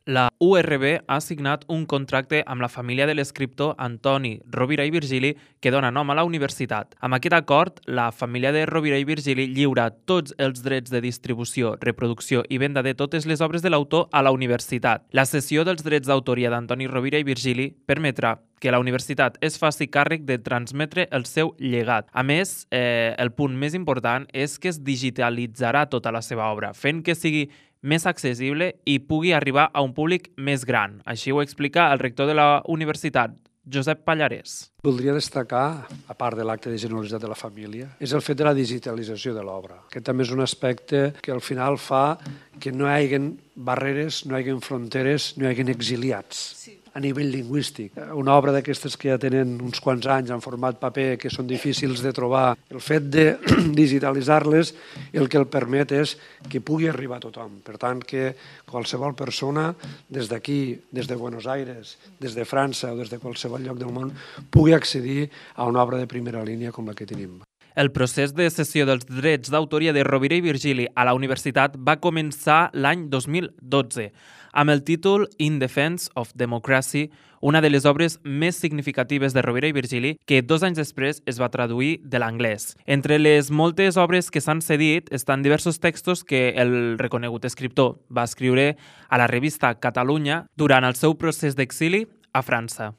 La URB ha signat un contracte amb la família de l'escriptor Antoni Rovira i Virgili que dona nom a la universitat. Amb aquest acord, la família de Rovira i Virgili lliura tots els drets de distribució, reproducció i venda de totes les obres de l'autor a la universitat. La cessió dels drets d'autoria d'Antoni Rovira i Virgili permetrà que la universitat es faci càrrec de transmetre el seu llegat. A més, el punt més important és que es digitalitzarà tota la seva obra, fent que sigui més accessible i pugui arribar a un públic més gran. Així ho explica el rector de la universitat, Josep Pallarès. Voldria destacar, a part de l'acte de generositat de la família, és el fet de la digitalització de l'obra. Aquest també és un aspecte que al final fa que no hi hagi barreres, no hi hagi fronteres, no hi hagi exiliats. Sí. A nivell lingüístic. Una obra d'aquestes que ja tenen uns quants anys en format paper, que són difícils de trobar, el fet de digitalitzar-les el que el permet és que pugui arribar a tothom. Per tant, que qualsevol persona, des d'aquí, des de Buenos Aires, des de França o des de qualsevol lloc del món, pugui accedir a una obra de primera línia com la que tenim. El procés de cessió dels drets d'autoria de Rovira i Virgili a la universitat va començar l'any 2012, amb el títol In Defense of Democracy, una de les obres més significatives de Rovira i Virgili, que 2 anys després es va traduir de l'anglès. Entre les moltes obres que s'han cedit estan diversos textos que el reconegut escriptor va escriure a la revista Catalunya durant el seu procés d'exili a França.